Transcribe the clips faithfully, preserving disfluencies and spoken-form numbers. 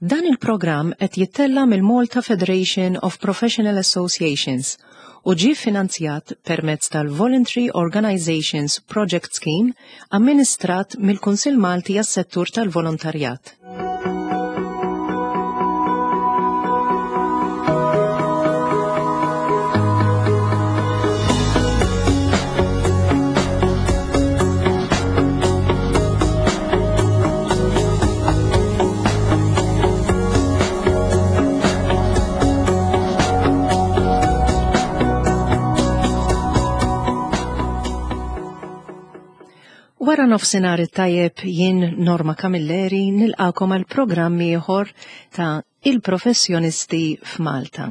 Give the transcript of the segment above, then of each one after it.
Dan il-programm qed jittella' mill-Malta Federation of Professional Associations u ġie finanzjat permezz tal-Voluntary Organizations Project Scheme amministrat mill-Kunsill Malti għas-Settur tal-Volontarjat. Wara nofsinhar it-tajjeb, jien Norma Camilleri nilqakom għal programm ieħor ta' Il-Professjonisti f'Malta.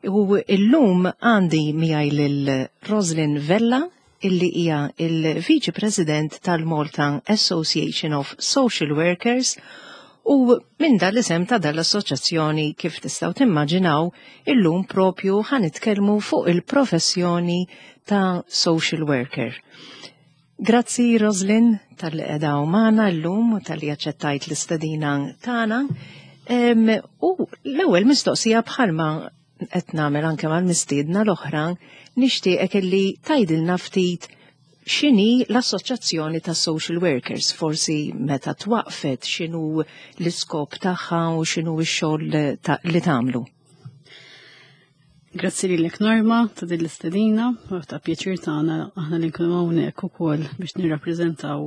U illum għandi miegħi lil Roslyn Vella, illi hija il-Viċi President tal-Malta Association of Social Workers, u minn dan l-isem ta' dan l-assoċjazzjoni, kif tistgħu timmaġinaw, illum propju ħa nitkellmu fuq il-professjoni ta' social worker. Grazzi, Roslyn, talli qiegħda magħna llum u talli aċċettajt l-istedina tagħna. U l-ewwel mistoqsija, bħalma qed nagħmel anke mal-mistiedna l-oħra, nixtieqek illi tgħidilna ftit x'inhi l-Assoċjazzjoni ta' Social Workers, forsi meta twaqfet, x'inhu l-iskop tagħha u x'inhu x-xogħol li tagħmlu. Grazzi lilek, Norma, ta' din l-istedina, u ta' pjaċir tagħna aħna li nkunu hawnhekk ukoll biex nirrappreżentaw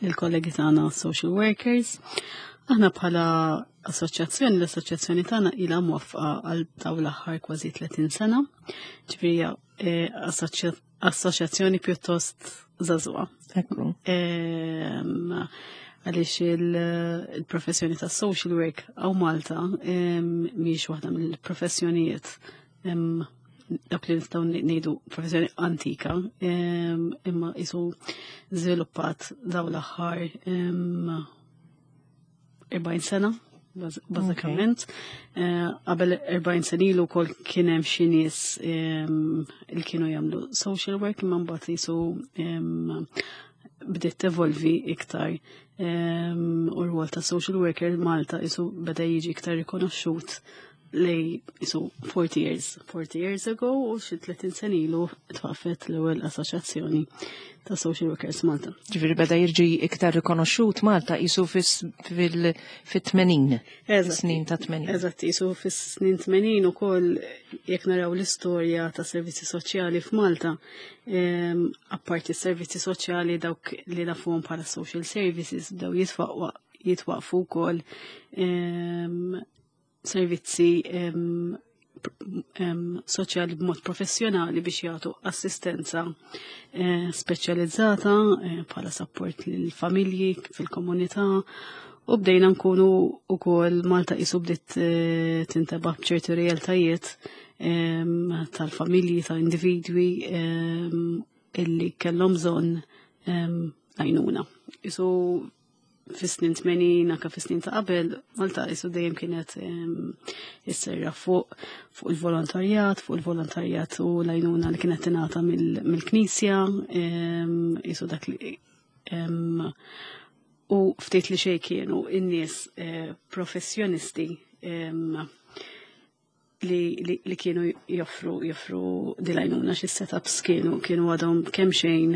lill-kollegi tagħna social workers. Aħna bħala assoċjazzjoni, l-assoċjazzjoni tagħna ilha mwaffqa għal dawn l-aħħar kważi tletin sena. Ġifieri eh, assoċjazzjoni pjuttost żagħżugħa. Ekku. Għaliex il-professjoni ta' social work hawn Malta mhix waħda mill-professjonijiet dak li nistgħu ngħidu professjoni antika, imma isu żviluppat dawn l-aħħar erbgħin sena bażikament. Eh, qabel erbgħin sena ilu wkoll kien hemm xi nies li kienu jagħmlu social work, imma mbagħad jisu bdiet tevolvi iktar u r-rwol ta' social worker Malta isu beda jiġi iktar rikonoxxut lejn isu forty years, forty years ago, u xi tletin sena ilu twaqfet l-ewwel assoċjazzjoni ta' Social Workers Malta. Ġifieri beda jiġi iktar rikonoxxut Malta isu fit-tmenin. Snin ta' tmenin. Eżatt, isu fis-snin tmenin ukoll, jekk naraw l-istorja ta' servizzi soċjali f'Malta, apparti servizzi soċjali dawk li nafuhom bħala social services, bdew jitwaqfu wkoll servizzi soċjali b'mod professjonali biex jagħtu assistenza eh, speċjalizzata eh, bħala support lill-familji fil-komunità, u bdejna nkunu ukoll Malta isu bdiet eh, tintebaħ b'ċertu realtajiet tal-familji, ta' individwi illi kellhom bżonn għajnuna. Isu fis-snin tmenin, anke fis-snin ta' qabel, Malta isu dejjem kienet isserra fuq fuq il-volontarjat, fuq il-volontarjat u l-għajnuna li kienet tingħata mill-Knisja, isu dak li u ftit li xejn kienu in-nies eh, professjonisti li, li, li kienu joffru joffru dil-għajnuna, xi setups kienu kienu għadhom kemm xejn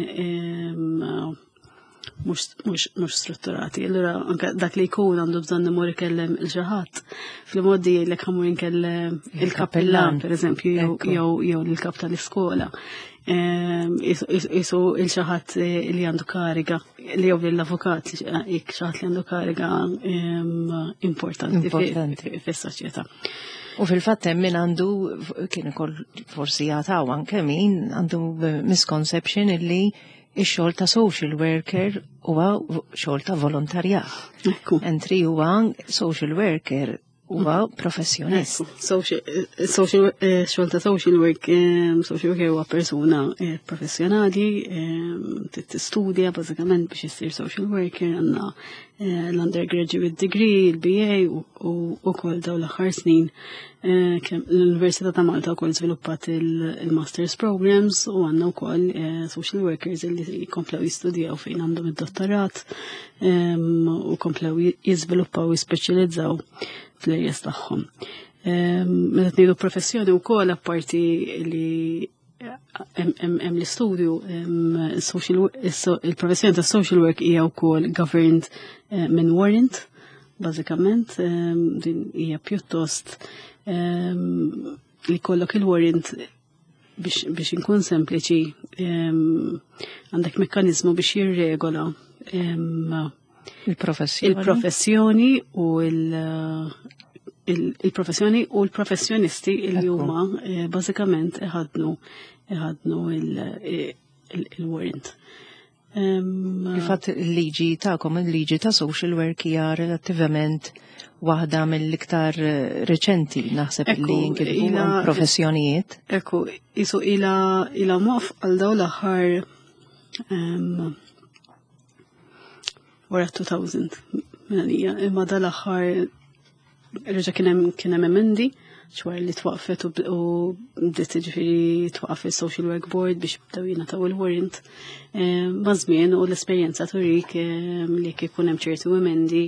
mhux strutturati. Allura anke dak li jkun għandu bżonn imur ikellem lil xi ħadd. Fil-modi jgħidlek ħa mmur inkellem il-kappellan, per eżempju, jew jew il-kap tal-iskola. Isu lil xi ħadd li għandu kariga, li jew l-avukat, jekk xi ħadd li għandu kariga importanti fis-soċjetà. U fil-fatt hemm min għandu, kien ukoll forsi jagħtaw anke min għandu misconception illi ix-xogħol ta' social worker huwa xogħol ta' volontarjat. Entry huwa social worker. huwa professjonist. Social, eh, xogħol ta' social work, social worker huwa persuna eh, professjonali, tistudja bażikament biex issir social worker, għandna eh, l-undergraduate degree, il-B A u wkoll daw l-aħħar snin l-Università ta' Malta wkoll żviluppat il-Masters Programs u għandna wkoll social workers li komplew jistudjaw fejn għandhom id-dottorat u komplew jiżviluppaw u jispeċjalizzaw fl-areas tagħhom. Meta ngħidu professjoni wkoll, apparti li hemm l-istudju, il-professjoni ta' social work hija wkoll governed eh, minn warrant, bażikament din hija pjuttost li jkollok il-warrant, biex, biex inkun sempliċi, għandek mekkanizmu biex jirregola il-professjoni. Il-professjoni u il-professjoni u l-professjonisti li huma eh, bażikament iħadnu iħadnu il-warrant. Kifat il-liġi tagħkom, il-liġi ta' social work, hija relattivament waħda mill-iktar eh, reċenti, naħseb, li jinkitbu professjonijiet. Ekku, isu ila ila mof għal daw l-aħħar wara elfejn minna, imma dal-aħħar reġa' kien hemm kien hemm emendi xwar li twaqfet u bdiet, ġifieri twaqaf il-Social Work Board biex bdew jingħataw il-warrant. Ma' żmien u l-esperjenza turik li jekk ikun hemm ċertu emendi,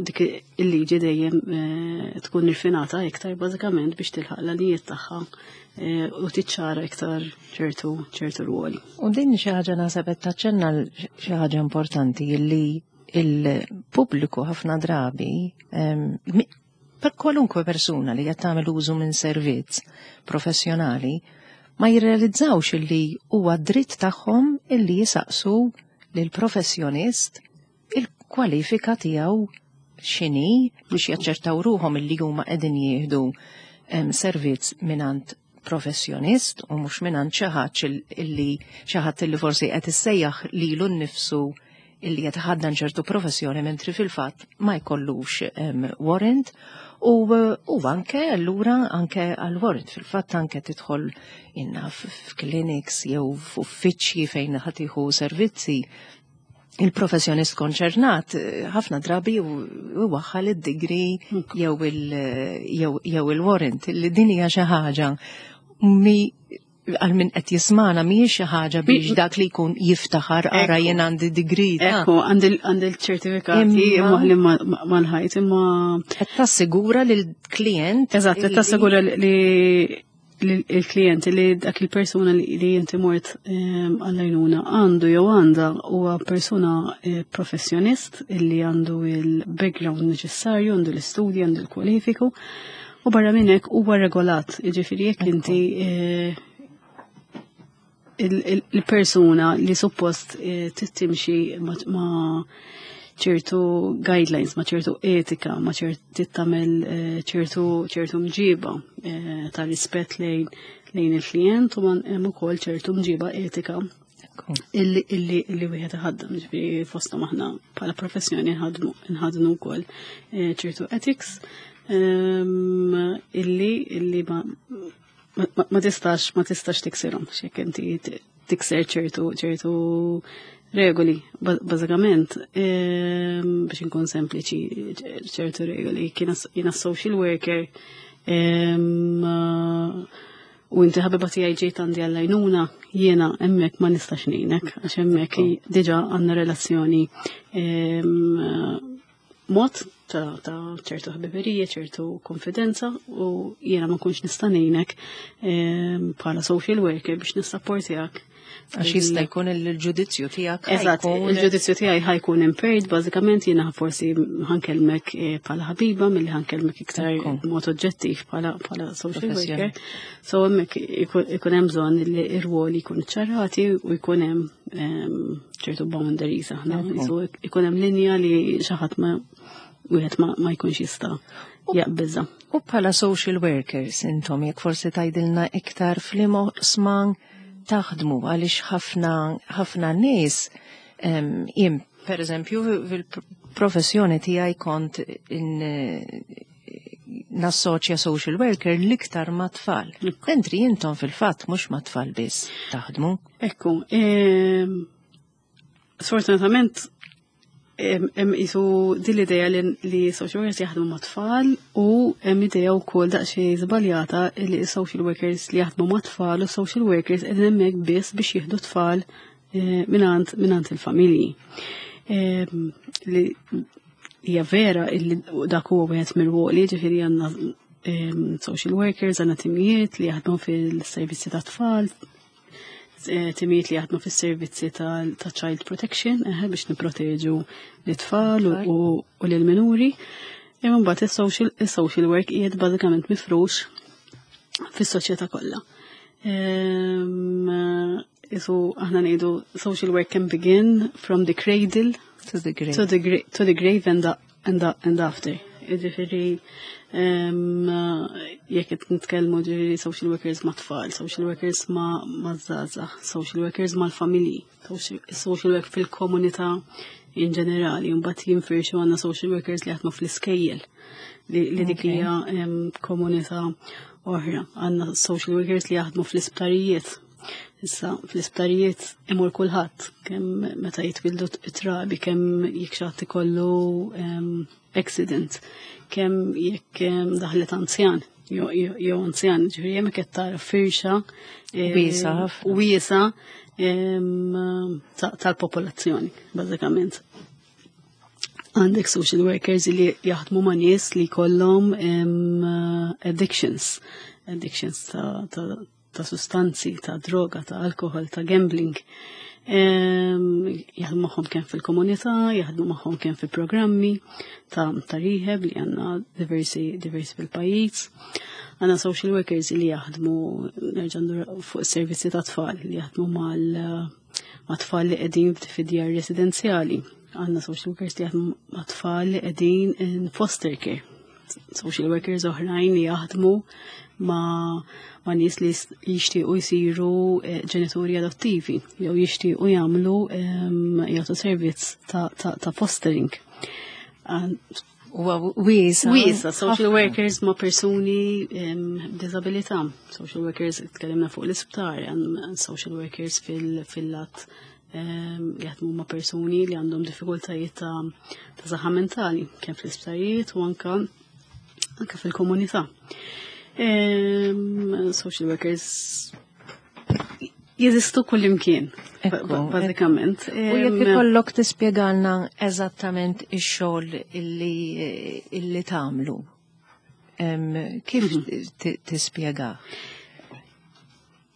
dik il-liġi dejjem eh, tkun irfinata iktar bażikament biex tilħaq l-għanijiet tagħha eh, u tiċċara iktar ċertu ċertu rwoli. U din xi ħaġa, naħseb qed taċċenna xi ħaġa importanti li il-pubbliku ħafna drabi, per kwalunkwe persuna li qed tagħmel użu minn servizz professjonali, ma jirrealizzawx illi huwa dritt tagħhom illi jisaqsu lil professjonist il-kwalifika tiegħu x'inhi biex jaċċertaw ruhom illi huma qegħdin jieħdu servizz mingħand professjonist u mhux mingħand xi ħadd illi xi ħadd illi forsi qed issejjaħ lilu nnifsu illi qed ħaddan ċertu professjoni mentri fil-fatt ma jkollux warrant u, u anke allura anke għal warrant fil-fatt anke tidħol inna f'clinics jew f'uffiċċji fejn ħa tieħu servizzi, il-professjonist konċernat ħafna drabi waħħal id-degree jew il-warrant, li din hija xi ħaġa mi għal min qed jismana mhijiex xi ħaġa biex dak li jkun jiftaħar, "Ara, jien għandi degree." Ekku, għandi l-ċertifikati moħli mal-ħajt, imma. Qed tassigura lill-klient. Eżatt, qed tassigura li il-klient li dak il-persuna li inti mort għall-għajnuna għandu jew għandha huwa persuna eh, professjonist illi għandu il-background neċessarju, għandu l-istudji, għandu l-kwalifiku u barra minn hekk huwa regolat. Jiġifieri jekk inti eh, il-persuna li suppost eh, tittimxi ma' ċertu guidelines, ma' ċertu etika, ma' ċertu tagħmel eh, ċertu ċertu mġiba eh, ta' rispett lejn lejn il-klient u hemm ukoll ċertu mġiba etika illi illi illi wieħed iħaddem, ġifieri fosthom aħna bħala professjoni nħadmu nħadnu wkoll ċertu ethics ehm, illi illi ma ma tistax ma tistax tiksirhom x'jekk inti tikser ċertu ċertu regoli, bażikament, ehm, biex inkun sempliċi, ċertu regoli, jiena social worker ehm, u inti ħabiba tiegħi ġejt għandi għall-għajnuna, jiena hemmhekk ma nistax ngħinek għax hemmhekk diġà għandna relazzjoni ehm, mod ta' ċertu ħbiberija, ċertu konfidenza u jiena ma nkunx nista' ngħinek bħala social worker biex nissapportjak. Għax jista' jkun il-ġudizzju tiegħek. Eżatt, il-ġudizzju tiegħi ħa jkun impaired, bażikament jiena forsi ħa nkellmek eh, bħala ħabiba milli ħa nkellmek iktar mod oġġettiv bħala bħala social worker. So hemmhekk ikun hemm bżonn li r-rwoli jkunu ċarati u jkun hemm ċertu boundaries aħna. Ikun hemm linja li xi ħadd ma wieħed ma jkunx jista' jaqbiżha. U bħala social workers intom, jekk forsi tgħidilna iktar f'liema oqsma taħdmu, għaliex ħafna ħafna nies, jien per eżempju fil-professjoni tiegħi kont in nassoċja social worker l-iktar ma' tfal. Mentri intom fil-fatt mhux ma' tfal biss taħdmu. Ekku, ehm, sfortunatament hemm qisu din l-idea li, li social workers jaħdmu ma' tfal u hemm idea wkoll daqsxejn żbaljata li social workers li jaħdmu ma' tfal u social workers qegħdin hemmhekk biss biex jieħdu tfal eh, mingħand mingħand il-familji. Ehm, Li hija vera illi dak huwa wieħed mir-ruoli, ġifieri għandna ehm, social workers, għandna timijiet li jaħdmu fil-servizzi ta' tfal, eh, timijiet li jaħdmu fis-servizzi ta' ta' child protection, eh, biex niproteġu l-tfal u, u, u l-minuri. Imma mbagħad is-social is-social work qiegħed bażikament mifrux fis-soċjetà kollha. Ehm, Isu aħna ngħidu social work can begin from the cradle To the grave. to the, gra to the grave and, the, and, the, and after. Ġifieri, um, jekk qed nitkellmu ġifieri social workers ma' tfal, social workers ma' ma' żgħażagħ, social workers mal-familji, social, social work fil-komunità in ġenerali, mbagħad jinfirxu għandna social workers li jaħdmu fl-iskejjel li, li dik Okay. hija em, komunità oħra. Għandna social workers li jaħdmu fl-isptarijiet. Issa, fl-isptarijiet imur kulħadd, kemm meta jitwildu it-trabi, kemm jekk xi ħadd ikollu em, accident, kemm jekk em, daħlet anzjan, jew jew anzjan, ġifieri hemmhekk qed tara firxa eh, Wiesgħa ħafna. wiesgħa em, ta- tal-popolazzjoni, bażikament. Għandek social workers li jaħdmu ma' nies li kollhom em, addictions, addictions ta', ta, ta' sustanzi, ta' droga, ta' alkohol, ta' gambling. Em, jaħdmu magħhom kemm fil-komunità, jaħdmu magħhom kemm fi programmi ta', ta' rehab li għandna diversi, diversi fil-pajjiż. Għandna social workers li jaħdmu nerġa' ndur fuq servizzi ta' tfal li jaħdmu mal ma' tfal li qegħdin fid-djar residenzjali. Għandna social workers li jaħdmu ma' tfal li qegħdin in foster care. Social workers oħrajn li jaħdmu ma' ma' nies li s- jixtiequ jsiru eh, ġenituri adottivi jew jixtiequ jagħmlu em, jagħtu servizz ta', ta, ta' fostering. Għan- Huwa wiesa. Wiesa, social workers ma' persuni em, b'disabilità. Social workers, tkellimna fuq l-isptar, għan social workers fil- fil-lat em, li jaħdmu ma' persuni li għandhom diffikultajiet ta' ta' saħħa mentali, kemm fl-isptarijiet u anka anka fil-komunità. Em, social workers jeżistu kullimkien, Ekku, bażikament. U jekk Em, ikollok tispjegalna eżattament ix-xogħol illi illi tagħmlu. Em, Kif ti- tispjega?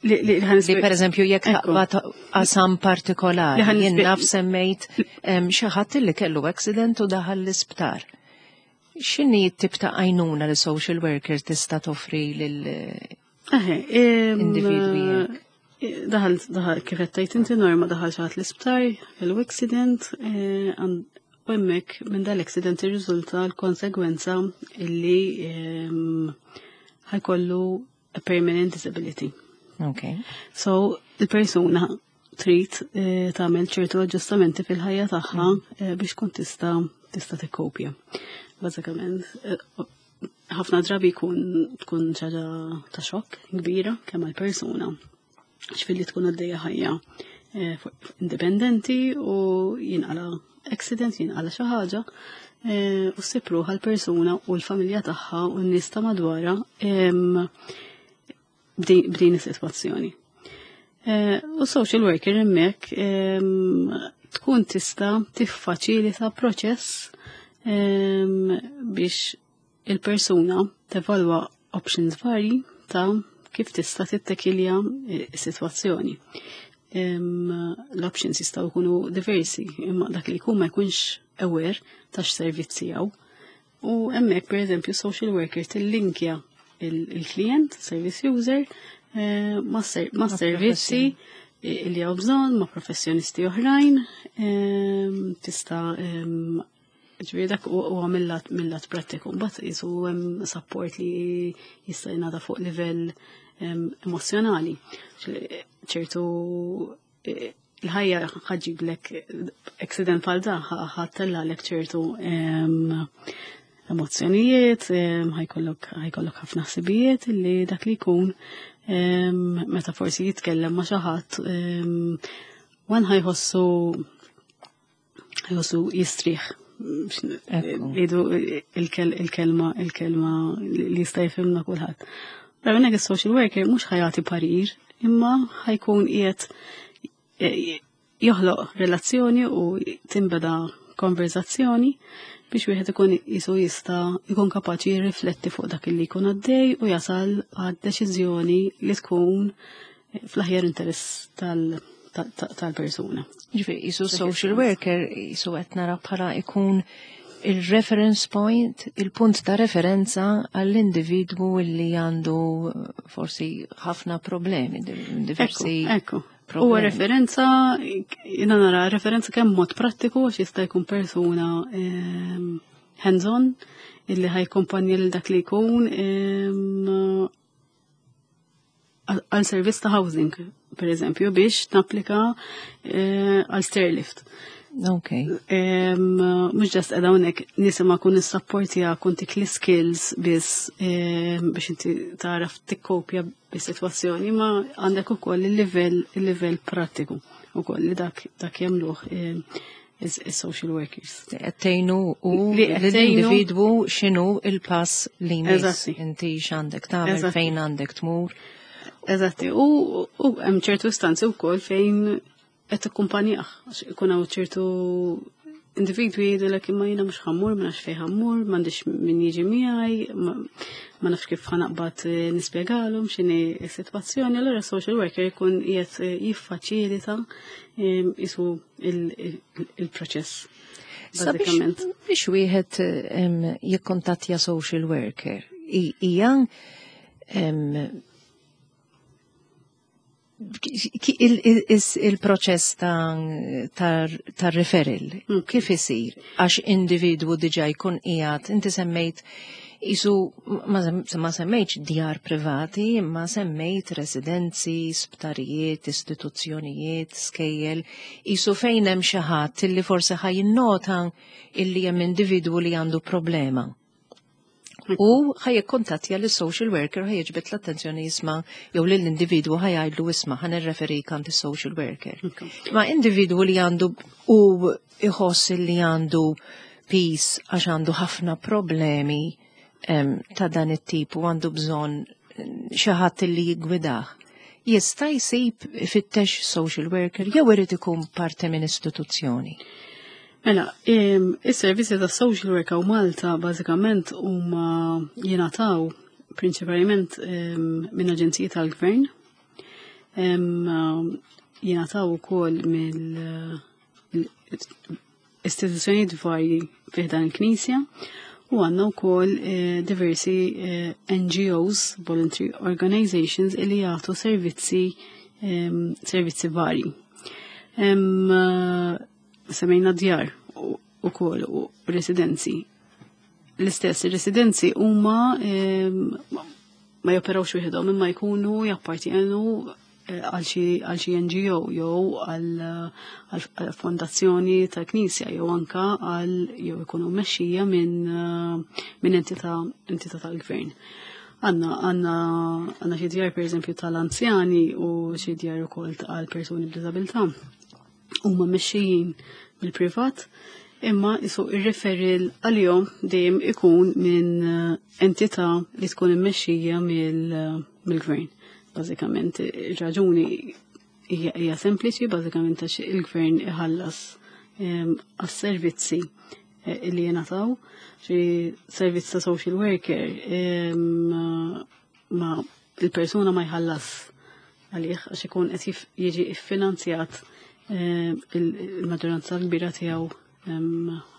li, li, li Li per eżempju jekk Ekku. taqbad qasam partikolari, Li ħan jien nispje- naf semmejt em, xi ħadd li kellu accident u daħal l-isptar. X'inhi t-tip ta' għajnuna li social worker tista' toffri lil Eħe, em, individwi hekk? Daħal, daħal, kif qed tgħid inti Norma daħal xi ħadd l-isptar, kellu accident, eh, għand- u hemmhekk minn dal-accident irriżulta l-konsegwenza illi em, ħa jkollu a permanent disability. Ok. So, il-persuna trid eh, tagħmel ċertu aġġustamenti fil-ħajja tagħha eh, biex tkun tista' tista' tikkopja. Bażikament, eh, ħafna drabi jkun tkun ħaġa ta' xokk kbira kemm għall-persuna x'filli tkun għaddejja ħajja eh, fuq- indipendenti u jinqala accident, jinqala xi ħaġa eh, u ssib ruħha l-persuna u l-familja tagħha u n-nies ta' madwarha em, b'din b'din is-sitwazzjoni. Eh, U social worker hemmhekk em, tkun tista' tiffaċilita proċess em, biex il-persuna tevalwa options varji ta' kif tista' tittekilja is-sitwazzjoni. Em, L-options jistgħu jkunu diversi, imma dak li jkun ma jkunx aware ta' x'servizzi hawn. U hemmhekk pereżempju social worker tillinkja il-klient, service user, eh, ma' ser- ma' servizzi li hawn bżonn, ma' professjonisti oħrajn, em, tista' em, ġifieri dak huwa mill-lat mill-lat prattiku. Mbagħad qisu hemm support li jista' jingħata fuq livell em, emozjonali. ċertu eh, Il-ħajja ħa ġġiblek accident bħal da, ħa ttellagħlek ċertu emozzjonijiet, ħa jkollok ħafna ħsibijiet li dak li jkun meta forsi jitkellem ma' xi ħadd wan ħa jħossu ħa jħossu jistrieħ. Idu il-kelma il-kelma li jista' jifhimna kulħadd. Però hawnhekk is-social worker mhux ħa jagħti parir, imma ħa jkun qiegħed joħloq relazzjoni u tinbeda konverzazzjoni biex wieħed ikun jisu jista' jkun kapaċi jirrifletti fuq dak li jkun għaddej u jasal għad deċiżjoni li tkun fl-aħjar interess tal- tal-persuna. Ġifieri, jisu social worker, jisu qed nara bħala ikun il-reference point, il-punt ta' referenza għall-individwu li għandu forsi ħafna problemi, diversi. Ekku, Huwa referenza, jiena nara referenza kemm mod prattiku għax jista' jkun persuna ehm, hands-on illi ħa jakkumpanja lil dak li jkun ehm, għal servizz ta' housing, per eżempju, biex tapplika eh, għal stairlift. Ok. Mhux just qed hawnhekk nisma' kun nissapportja kun tik l-skills biss biex inti taraf tikkopja bis-sitwazzjoni, ma għandek ukoll il-livell il-livell prattiku ukoll li dak dak jagħmluh is-social workers. Tgħinu u l-individwu x'inhu il-pass li jmiss, inti x'għandek tagħmel, fejn għandek tmur. Eżatti, u hemm ċertu istanzi wkoll fejn qed tikkumpanjah, għax ikun hawn ċertu individwi jgħidulek, "Imma jiena mhux ħa mmur, ma nafx fejn ħa mmur, m'għandix min jiġi miegħi, ma nafx kif ħa naqbad eh, nispjegalhom x'inhi s-sitwazzjoni." Allura social worker jkun qiegħed eh, jiffaċilita jisu il-proċess. Bażikament. Biex wieħed jikkontattja social worker, hija il-proċess ta' referral, mm. kif isir? Għax individwu diġa jkun qiegħed, inti semmejt isu ma semmejtx djar privati, ma semmejt residenzi, sptarijiet, istituzzjonijiet, skejjel, isu fejn hemm xi ħadd illi forsi ħa jinnota illi hemm individwu li għandu problema. U ħa jikkuntattja lis social worker, ħa jiġbed l-attenzjoni, jisma' jew lill-individwu ħa jgħidlu, "Isma', ħa nirreferik għand social worker." Ma individwu li għandu u iħoss li għandu piż għax għandu ħafna problemi ta' dan it-tip u għandu bżonn xi ħadd li jiggwidah. Jista' jsib ifittex social worker jew irid ikun parti minn istituzzjoni? Mela, is-servizzi ta' social work hawn Malta bażikament huma jingħataw prinċipalment minn aġenziji tal-gvern. Jingħataw ukoll mill istituzzjonijiet varji fi dan il-Knisja u għandna wkoll eh, diversi eh, N G Os, voluntary organizations, li jagħtu servizzi servizzi varji. Semmejna djar u kol u residenzi. L-istess, residenzi huma ma joperawx wieħedhom imma jkunu jappartjenu eh, għal xi N G O jew għal fondazzjoni ta' knisja jew anka għal jew ikunu mexxija minn minn entità entità tal-gvern. Għandna għandna għandna xi djar, per eżempju, tal-anzjani u xi djar ukoll għal persuni b'diżabilità. Huma mexxijin mill-privat, imma isu ir-referral għalihom dejjem ikun minn entità li tkun immexxija mill-gvern. Bażikament ir-raġuni hija sempliċi, bażikament għax il-gvern iħallas għas-servizzi eh, li jingħataw, xi servizz ta' social worker ma il-persuna ma jħallas għalih għax ikun qed jiġi iffinanzjat il-maġġoranza kbira tiegħu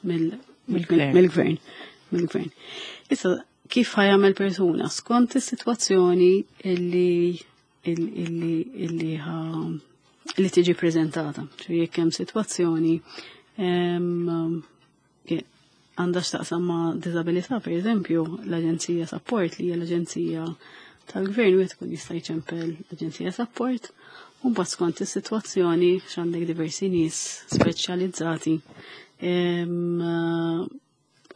mill-gvern. Mill-gvern. Issa, kif ħa jagħmel persuna skont is-sitwazzjoni illi illi illi li tiġi prezentata. Jekk hemm sitwazzjoni għandha x'taqsam ma' diżabilità, per eżempju, l-Aġenzija Sapport, li hija l-Aġenzija tal-gvern wieħed ikun jista' jċempel l-Aġenzija Sapport u mbagħad skont is-sitwazzjoni x'għandek diversi nies speċjalizzati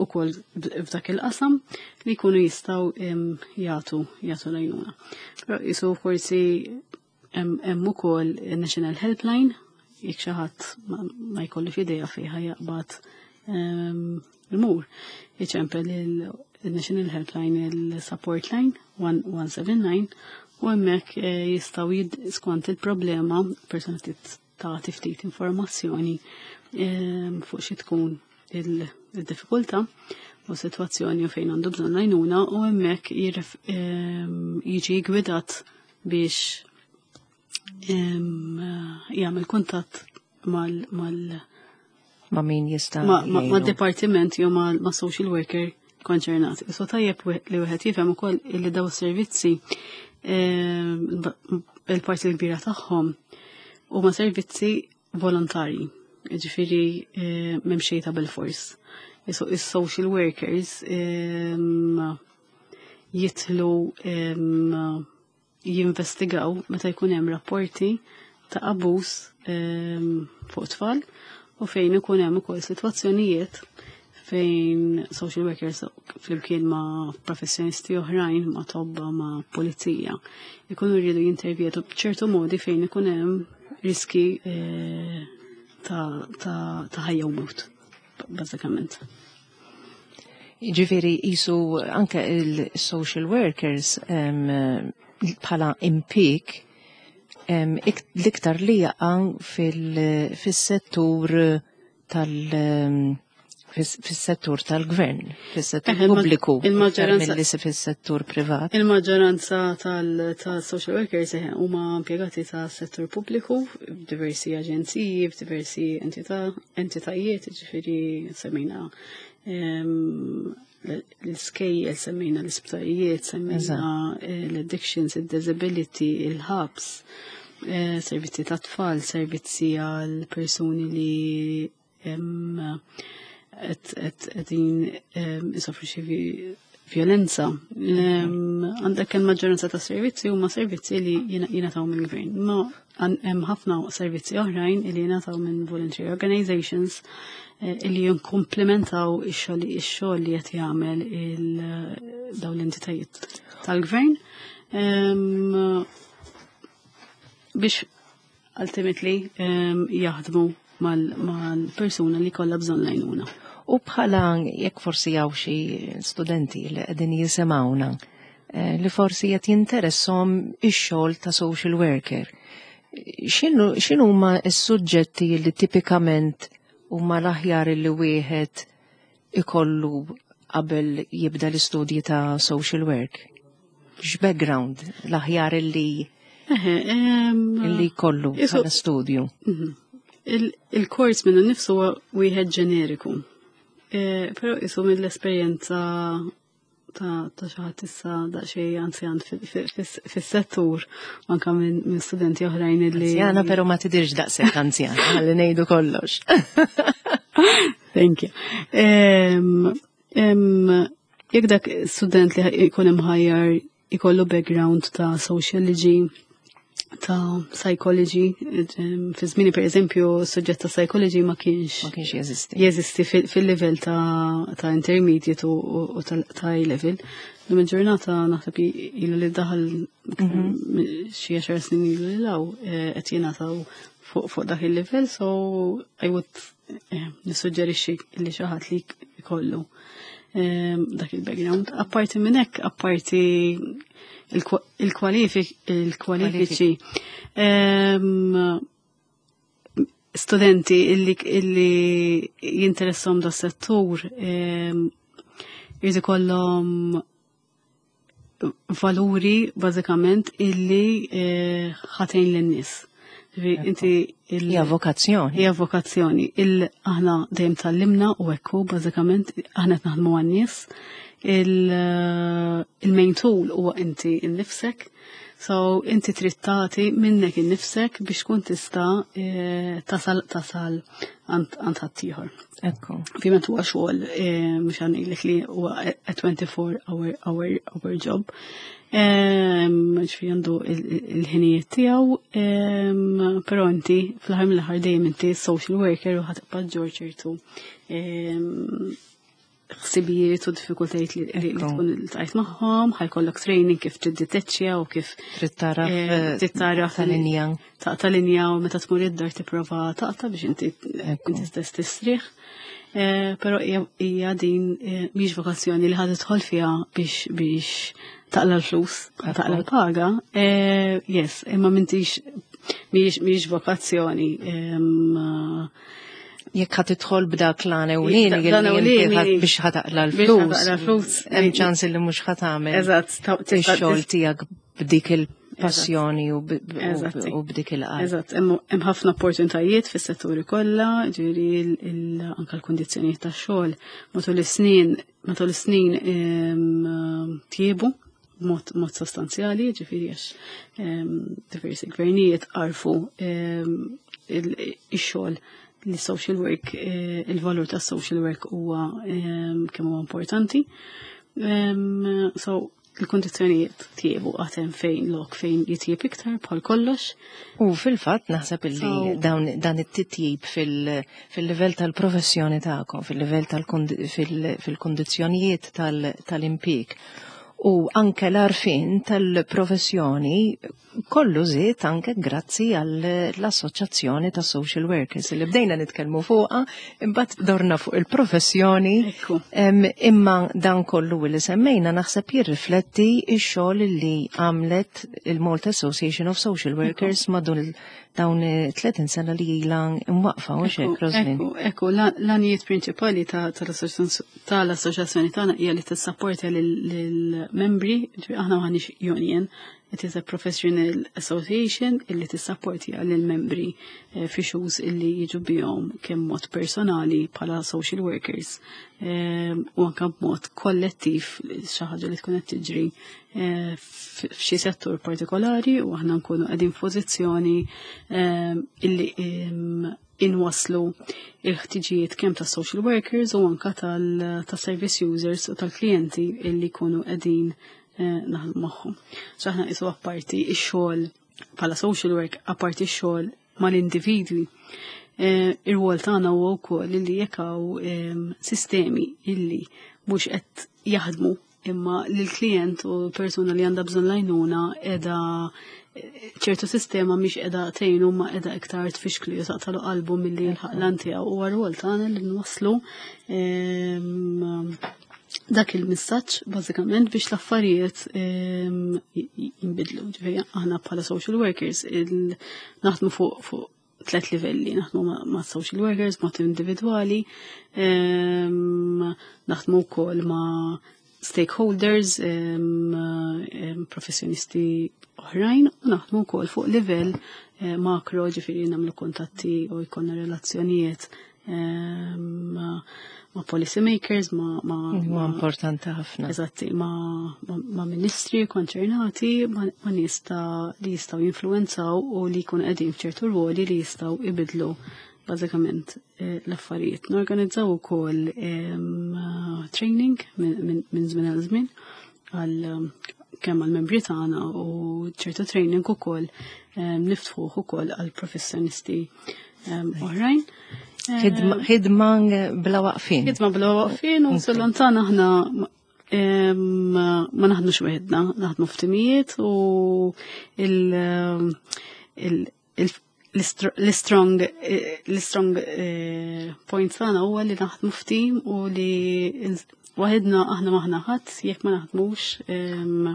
ukoll f'dak il-qasam li jkunu jistgħu jagħtu jagħtu l-għajnuna. Però jisu forsi hemm ukoll National Helpline, jekk xi ħadd ma jkollux idea fejn jaqbad imur. Iċempel il-National Helpline, il-Support Line one one seven nine, u hemmhekk eh, jistgħu, skont il-problema, persuna tagħti ftit informazzjoni fuq xi tkun il-diffikultà u situazzjoni u fejn għandu bżonn għajnuna, u hemmhekk jiġi gwidat biex jagħmel kuntatt mal mal ma' min jista' ma' ma' dipartiment jew ma' social worker konċernat. So tajjeb li wieħed jifhem ukoll li daw is-servizzi, il-parti l-kbira tagħhom huma servizzi volontarji. Ġifieri m'hemm xejn ta' bil-fors. Is-social workers jidħlu jinvestigaw meta jkun hemm rapporti ta' abbuż fuq tfal u fejn ikun hemm ukoll sitwazzjonijiet fejn social workers flimkien ma' professjonisti oħrajn, ma' tobba, ma' pulizija, ikunu rridu jintervjetu b'ċertu modi fejn ikun hemm riski eh, ta' ta' ħajja u mewt, bażikament. Ġifieri jisu anke il-social workers bħala impik l-iktar li jaqa' fil-settur tal- fis-settur tal-gvern, fis-settur pubbliku, il-maġġoranza milli fis-settur privat. Il-maġġoranza tal-social workers huma impjegati tas-settur pubbliku f'diversi aġenziji, f'diversi entitajiet, ġifieri semmejna l-iskejjel, semmejna l-isptarijiet, semmejna l-addictions, il-disability, il-hubs, eh, servizzi ta' tfal, servizzi għal persuni li qegħdin isofru xi violenza. Għandek il-maġġoranza ta' servizzi huma servizzi li jingħataw mill-gvern. Ma hemm ħafna servizzi oħrajn li jingħataw minn voluntary organizations eh, li jinkomplementaw ix-xogħol li qed jagħmel dawn l-entitajiet tal-gvern biex ultimately jaħdmu mal-persuna li kollha bżonn l-għajnuna. U bħala jekk forsi hawn xi studenti li qegħdin jisimgħuna eh, li forsi qed jinteressom ix-xogħol ta' social worker. X'inhu huma s-suġġetti li tipikament huma l-aħjar li wieħed ikollu qabel jibda l-istudji ta' social work? X'background l-aħjar li li kollu bħala studju? Mhm. Il-kors minnu nifsu huwa wieħed ġeneriku. E, però isu mill-esperjenza ta' ta' xi ħadd issa daqsxejn anzjan fis-settur, anka minn studenti oħrajn li. Anzjana, però ma tidirx daqshekk anzjana, ħalli ngħidu kollox. Thank you. Jekk dak student li jkun imħajjar ikollu background ta' sociology, ta' psychology, fi żmieni, per eżempju, suġġett ta' psychology ma kienx Ma kienx jeżisti. Jeżisti fil-level ta', ta' intermediate u, u ta' A level. Lum il-ġurnata naħseb ilu li daħal mhm. xi għaxar snin ilu li law eh, qed jingħataw fuq fuq dak il-level, so I would eh, nissuġġerixxi li xi ħadd li jkollu eh, dak il-background. Apparti minn hekk, apparti il-kwalifiċi, studenti illi, illi jinteressom da settur jrid ikollhom valuri bażikament illi eh, ħatejn lin-nies. Inti Hija vokazzjoni. Hija vokazzjoni. Il aħna dejjem tgħallimna u ekku bażikament aħna qed naħdmu għan-nies. Il-main tool huwa inti innifsek. So inti trid tagħti minnek innifsek biex tkun tista' eh, tasal tasal għand ħaddieħor. Ekku. Ovvjament huwa xogħol, eh, mhux ħa ngħidlek li huwa a twenty-four hour hour hour job. Ġifieri għandu il-ħinijiet tiegħu, però inti fl-aħħar mill-aħħar dejjem inti social worker u ħa tibqa' ġġorr ċertu ħsibijiet u diffikultajiet li li tkun iltqajt magħhom, ħa jkollok training kif tiddeteċċja u kif Trid taraf trid taraf ta' linja. Taqta' linja u meta tmur id-dar tipprova taqta' biex inti inti stess tistrieħ. Però hija din mhix vokazzjoni li ħa tidħol fiha biex biex taqla' l-flus, taqla' l-paga. Yes, imma m'intix mhix vokazzjoni. Jekk ħa tidħol b'dak l-għan ewlieni biex ħa taqla' l-flus, hemm ċans li mhux ħa tagħmel Eżatt, ix-xogħol tiegħek b'dik il-passjoni u b'dik il-qalb. Eżatt, hemm ħafna opportunitajiet fis-setturi kollha, ġifieri anke l-kundizzjonijiet tax-xogħol matul is-snin matul is-snin tjiebu mod mod sostanzjali, ġifieri għax diversi gvernijiet għarfu ix-xogħol li social work, il-valur ta' social work huwa kemm huwa importanti. So, il-kondizzjonijiet tjiebu, għad hemm fejn lok fejn jitjieb iktar, bħal kollox. U fil-fatt naħseb illi dawn dan it-titjib fil-livell tal-professjoni tagħkom, fil-livell fil-kondizzjonijiet tal-impjieg u anke l-għarfien tal-professjoni kollu żied anke grazzi għall-Assoċjazzjoni ta' Social Workers li bdejna nitkellmu fuqha, imbagħad dorna fuq il-professjoni. Imma dan kollu li semmejna naħseb jirrifletti x-xogħol li għamlet il-Malta Association of Social Workers madwar dawn tletin sena li ilha imwaqfa, u hekk, Roslyn? Ekku, ekku, l-għanijiet prinċipali tal-assoċjazzjoni tagħna hija li tissapporta lill-membri, aħna m'aħniex union, it is a professional association illi tissapporti lill-membri eh, fi issues illi jiġu bihom kemm mod personali bħala social workers eh, u anke b'mod kollettiv, xi ħaġa li tkun qed tiġri eh, f'xi settur partikolari, u aħna nkunu qegħdin f'pożizzjoni illi inwaslu il-ħtiġijiet kemm ta' social workers u anka tal-service users u tal-klijenti illi jkunu qegħdin eh, naħdmu magħhom. So aħna qisu apparti x-xogħol bħala social work, apparti x-xogħol mal-individwi, eh, ir-rwol tagħna huwa wkoll illi jekk hawn sistemi illi mhux qed jaħdmu imma l-klient u persuna li għandha bżonn l-għajnuna qiegħda ċertu sistema mhix qiegħda tgħinu ma qiegħda iktar tfixklu jew taqtalu qalbu milli jilħaq l-għan tiegħu, u r-rwol tagħna li nwasslu dak il-messaġġ bażikament biex l-affarijiet jinbidlu. Ġifieri aħna bħala social workers naħdmu fuq fuq tlet livelli, naħdmu ma' social workers, mod individwali, naħdmu wkoll ma' stakeholders, professjonisti oħrajn, u naħdmu wkoll fuq livell eh, makro, ġifieri nagħmlu kuntatti u jkollna relazzjonijiet ma' ma' policy makers, ma' ma' Huwa importanti ħafna. Eżatti, ma' ma' ministri konċernati, ma' nies ta' li jistgħu jinfluwenzaw u li jkunu qegħdin f'ċertu ruoli li jistgħu ibidlu bażikament eh, l-affarijiet. Norganizzaw ukoll training minn żmien għal żmien għal kemm għal membri tagħna u ċertu training ukoll niftħuh ukoll għal professjonisti oħrajn. Ħidma bla waqfin. Ħidma bla waqfin, u sal-lontana aħna ma naħdmux weħidna, naħdmu f'timijiet, u l-strong l-strong eh, point tagħna huwa li naħdmu f'tim u li waħedna aħna m'aħna ħadd jekk ma naħdmux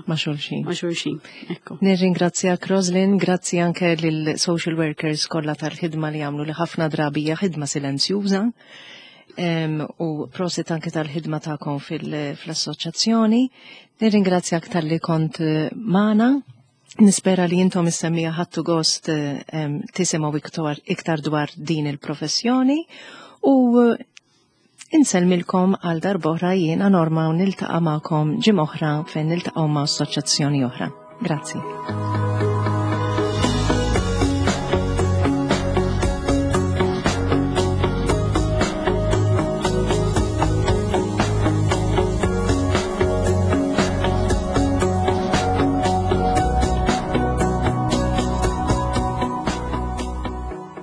ma' xulxin. Ma' xulxin. Ekku. Nirringrazzjak, Roslyn, grazzi anke lil social workers kollha tal-ħidma li jagħmlu, li ħafna drabi hija ħidma silenzjuża. U prosit anke tal-ħidma tagħkom fil-assoċjazzjoni. Nirringrazzjak talli kont magħna. Nispera li intom is-semmiegħa ħadtu gost tisimgħu iktar, iktar dwar din il-professjoni, u insellmilkom għal darb'oħra jiena Norma, u niltaqa' magħkom ġimgħa oħra fejn niltaqgħu ma' assoċjazzjoni oħra. Grazzi.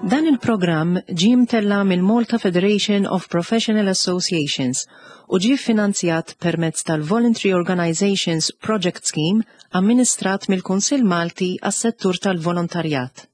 Dan il-programm ġie mtella mill-Malta Federation of Professional Associations u ġie finanzjat permezz tal-Voluntary Organizations Project Scheme amministrat mill-Kunsill Malti għas-settur tal-volontarjat.